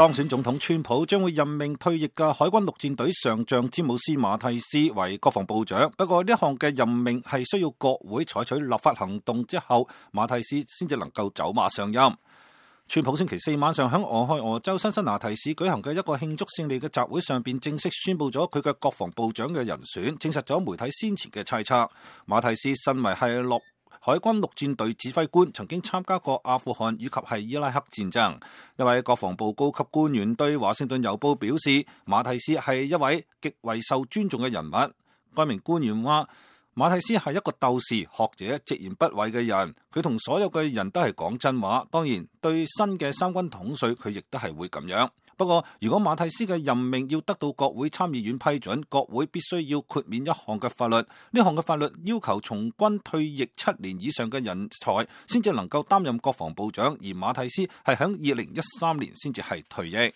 當選總統川普將會任命退役嘅海軍陸戰隊上將詹姆斯馬蒂斯為國防部長，不過呢項嘅任命係需要國會採取立法行動之後，馬蒂斯先至能夠走馬上任。川普星期四晚上喺俄亥俄州辛辛那提市舉行嘅一個慶祝勝利嘅集會上邊，正式宣布咗佢嘅國防部長嘅人選，證實咗媒體先前嘅猜測。馬蒂斯身為係海軍陸戰隊指揮官，曾經參加過阿富汗以及係伊拉克戰爭。一位國防部高級官員對華盛頓郵報表示，馬蒂斯係一位極為受尊重嘅人物。該名官員話，馬蒂斯係一個鬥士、學者、直言不諱嘅人，佢同所有嘅人都係講真話。當然，對新嘅三軍統帥，佢亦都係會咁樣。不過，如果馬蒂斯嘅任命要得到國會參議院批准，國會必須要豁免一項嘅法律。呢項嘅法律要求從軍退役7年以上嘅人才先至能夠擔任國防部長，而馬蒂斯係喺2013年先至係退役。